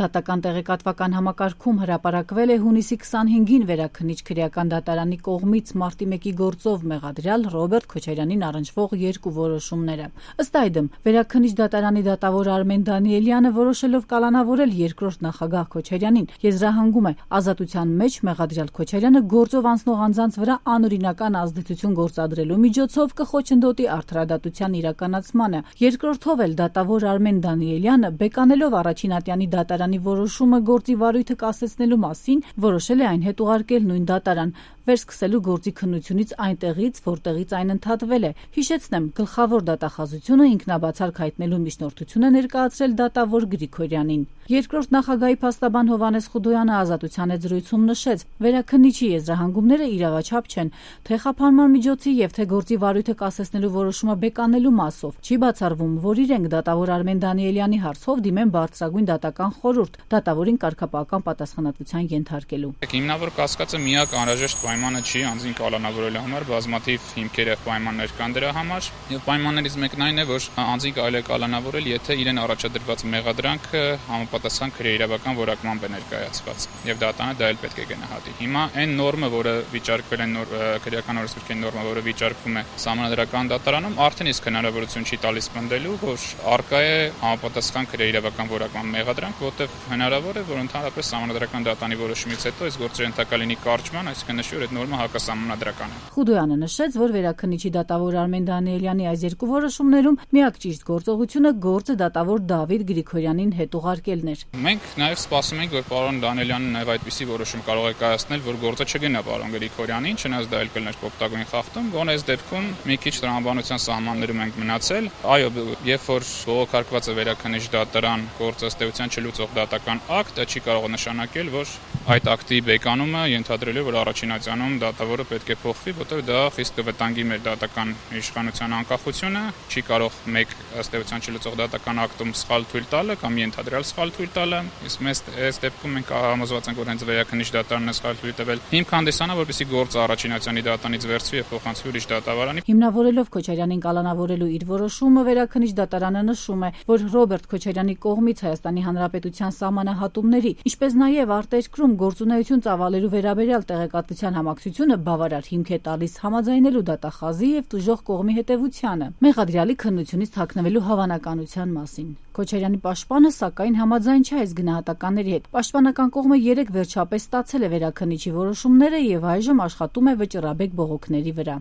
Դատական տեղեկատվական համակարգում հրապարակվել է հունիսի 25-ին Վերաքննիչ քրեական դատարանի կողմից մարտի 1-ի գործով մեղադրյալ Ռոբերտ Քոչարյանին առնչվող երկու որոշումները։ Ըստ այդմ, Վերաքննիչ դատարանի դատավոր Արմեն Դանիելյանը որոշելով կալանավորել երկրորդ նախագահ Քոչարյանին, եզրահանգում է ազատության մեջ մեղադրյալ Քոչարյանը գործով անցնող անձանց վրա անօրինական ազդեցություն գործադրելու միջոցով կխոչընդոտի արդարադատության իրականացմանը։ Երկրորդով էլ դատավոր Արմեն Դանիելյանը բեկանելով առաջին ատյանի դատարանի որոշումը գործի վարույթը կասեցնելու մասին որոշել է այն հետ ուղարկել նույն դատարան, վերսկսելու գործի քննությունից այնտեղից, որտեղից այն ընդհատվել է։ Հիշեցնեմ, գլխավոր դատախազությունը ինքնաբացարկ հայտնելու միջնորդություն է ներկայացրել դատավոր Գրիգորյանին։ Երկրորդ նախագահի փաստաբան Հովհաննես Խուդոյանը ազատության հետ զրույցում նշեց, վերաքննիչի եզրահանգումները իրավաչափ չեն, թե խափանման միջոցի եւ թե գործի վարույթը կասեցնելու որոշումը բեկանելու մասով։ Չի բացառվում, որ իրենք դատավոր Արմեն Դանիելյանի հարցով դիմեն բարձրագույն դատական խորհուրդ, դատավորին կարգապահական պատասխանատվության ենթարկելու։ Հիմնավոր կասկածը միակ անհրաժեշտ պայմանը չի անձին կալանավորելու համար, բազմաթիվ հիմքեր եւ պայմաններ կան դրա համար, եւ պայմաններից մեկն այն է, որ անձին կարելի է կալանավորել, եթե իրեն առաջադրված մեղադրանքը համապատասխան քրեիրավական որակմամբ է ներկայացված, եւ դատանը դա էլ պետք է գնահատի։ Հիմա այն նորմը, որը վիճարկվել է քրեական օրենսգրքի նորմը, որը վիճարկվում է Սահմանադրական դատարանում, արդեն իսկ հնարավորություն չի տալիս պնդելու, որ արկա է համապատասխան քրեիրավական որակման մեղադրանք, որտեղ հնարավոր է, որ ընդհանրապես Սահմանադրական դատարանի որոշումից հետո այս գործը ենթակա լինի կարճման, այսինքն նշի, որ այդ նորմը հակասահմանադրական է։ Խուդոյանը նշեց, որ Վերաքննիչի դատավոր Արմեն Դանիելյանի այս երկու որոշումներում միակ ճիշտ գործողությունը գործը դատավոր Դավիթ Գրիգորյանին հետ ուղարկելն էր։ Մենք նաև սպասում ենք, որ պարոն Դանիելյանը նաև այդպիսի որոշում կարող է կայացնել, որ գործը չգնա պարոն Գրիգորյանին, չնայած դա էլ կլներ կոպտագույն խախտում, գոնե այս դեպքում մի քիչ տրամաբանության սահմաններում ենք մնացել։ Այո, երբ որ բողոքարկված է Վերաքննիչ դատարան գործ ըստ էության չլուծող դատական ակտ, դա չի կարող նշանակել, որ այդ ակտի բեկանումը ենթադրելու որ առաջին ատյանում դատավորը պետք է փոխվի, որտեղ դա խիստ կվտանգի մեր դատական իշխանության անկախությունը, չի կարող մեկ ըստ էության չլուծող դատական ակտում սխալ թույլ տալը կամ ենթադրյալ սխալ թույլ տալը, իսկ մեզ այս դեպքում մենք համոզված ենք, որ հենց Վերաքննիչ դատարանն է սխալ թույլ տվել։ Հիմք հանդիսանա, որպեսզի գործը առաջին ատյանի դատարանից վերցվի եւ փոխանցվի ուրիշ դատավարանի։ Հիմնավորելով Քոչարյանին կալանավորելու իր որոշումը Վերաքննիչ դատարանը նշում է, որ Ռոբերտ Քոչարյանի կողմից Հայաստանի Հանրապետության սահմանահատումների, ինչպես նաեւ արտերկրում գործունեություն ծավալելու վերաբերյալ տեղեկատվության համակցությունը բավարար հիմք է տալիս համաձայնելու դատախազի եւ տուժող կողմի հետեւությանը մեղադրյալի քննությունից թաքնվելու հավանականության մասին։ Քոչարյանի պաշտպանը սակայն համաձայն չէ այս գնահատականների հետ։ Պաշտպանական կողմը 3 վերջապես ստացել է Վերաքննիչի որոշումները եւ այժմ աշխատում է վճռաբեկ բողոքների վրա։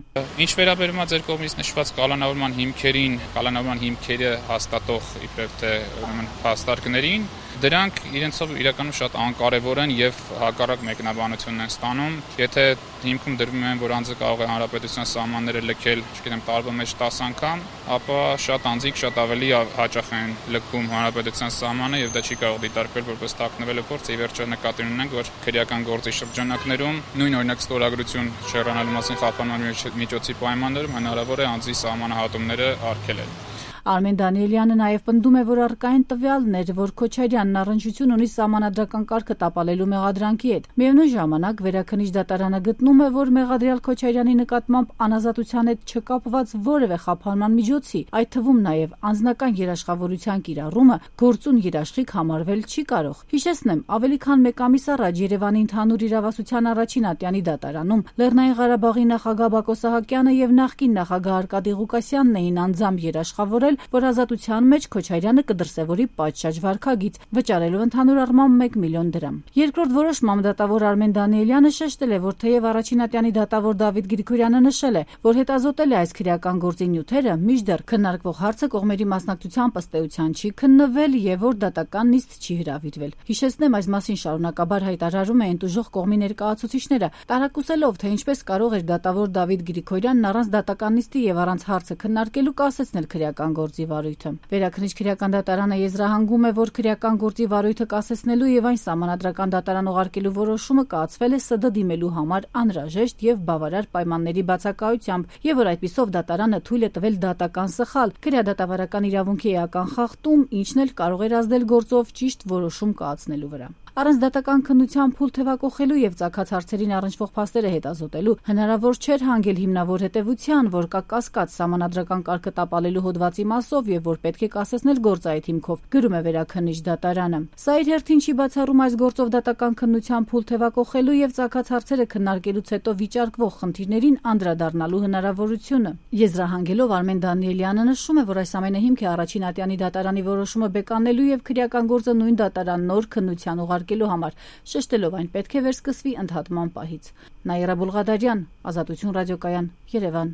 Ինչ վերաբերում է ձեր կողմից նշված կալանավորման հիմքերին, կալանավորման հիմքերը հաստատող իբրև թե ուրեմն փաստարկներին, դրանք իրենցով իրականում շատ անկարևոր են եւ հակառակ մեկնաբանությունն են ստանում։ Եթե հիմքում դրվում են, որ անձը կարող է հանրապետության սահմանները լքել, չգիտեմ, տարվա մեջ 10 անգամ, ապա շատ անձիկ շատ ավելի հաճախ են լքում հանրապետության սահմանը եւ դա չի կարող դիտարկվել որպես թաքնվելու փորձ։ Ի վերջո նկատի ունենք, որ քրեական գործի շրջանակներում նույն օրինակ ստորագրություն շեղանալու մասին խափանման միջոցի պայմաններում հնարավոր է անձի սահմանահատումները արգելել։ Արմեն Դանիելյանը նաև պնդում է, որ առկային տվյալներ, որ Քոչարյանն առնչություն ունի սահմանադրական կարգը տապալելու մեղադրանքի հետ։ Միևնույն ժամանակ Վերաքննիչ դատարանը գտնում է, որ մեղադրյալ Քոչարյանի նկատմամբ անազատության հետ չկապված որևէ խափանման միջոցի, այդ թվում նաև անձնական երաշխավորության կիրառումը գործուն երաշխիք համարվել չի կարող։ Հիշեցնեմ, ավելի քան 1 ամիս առաջ Երևանի ընդհանուր իրավասության առաջին ատյանի դատարանում Լեռնային Ղարաբաղի նախագահ Բակո Սահակյանը եւ նախկին նախագահ Արկադի Ղուկասյանն էին անձամբ երաշխավորել, որ ազատության մեջ Քոչարյանը կդրսևորի պատշաճ վարքագիծ, վճարելով ընդհանուր առմամբ 1 միլիոն դրամ։ Երկրորդ որոշմամբ դատավոր Արմեն Դանիելյանը շեշտել է, որ թեև առաջին ատյանի դատավոր Դավիթ Գրիգորյանը նշել է, որ հետազոտել է այս քրեական գործի նյութերը, մինչդեռ քննարկվող հարցը կողմերի մասնակցությամբ ըստ էության չի քննվել եւ որ դատական նիստ չի հրավիրվել։ Հիշեցնեմ, այս մասին շարունակաբար հայտարարում էին տուժող կողմի ներկայացուցիչները, տարակուսելով, թե ինչպես կարող էր դատավոր Դավիթ Գրիգորյանն առանց դատական նիստի եւ առանց հարցը քննարկելու կասեցնել քրեական գործի վարույթը։ Վերաքննիչ քրեական դատարանը եզրահանգում է, որ քրեական գործի վարույթը կասեցնելու եւ այն սահմանադրական դատարան ուղարկելու որոշումը կայացվել է ՍԴ դիմելու համար անհրաժեշտ եւ բավարար պայմանների բացակայությամբ եւ որ այդպիսով դատարանը թույլ է տվել դատական սխալ, քրեադատավարական իրավունքի էական խախտում, ինչն էլ կարող էր ազդել գործով ճիշտ որոշում կայացնելու վրա։ Առանց դատական քննության փուլ թևակողելու եւ ծագած հարցերին առնչվող փաստերը հետազոտելու հնարավոր չէր հանգել հիմնավոր հետեւության, որ կա կասկած սահմանադրական կարգը տապալելու հոդվածի մասով եւ որ պետք է կասեցնել գործային հիմքով, գրում է Վերաքննիչ դատարանը։ Սա իր հերթին չի բացառում այս գործով դատական քննության փուլ թևակողելու եւ ծագած հարցերը քննարկելուց հետո վիճարկվող խնդիրներին անդրադառնալու հնարավորությունը։ Եզրահանգելով Արմեն Դանիելյանը նշում է, որ այս ամենը հիմք է առաջին ատյանի դատարանի որոշումը բեկանելու եւ քրեական գործը նույն դատարան նոր քննության ուղարկելու համար, շեշտելով այն պետք է վերսկսվի ընդհատման պահից։ Նաիրա Բուլղադարյան, Ազատություն ռադիոկայան, Երևան։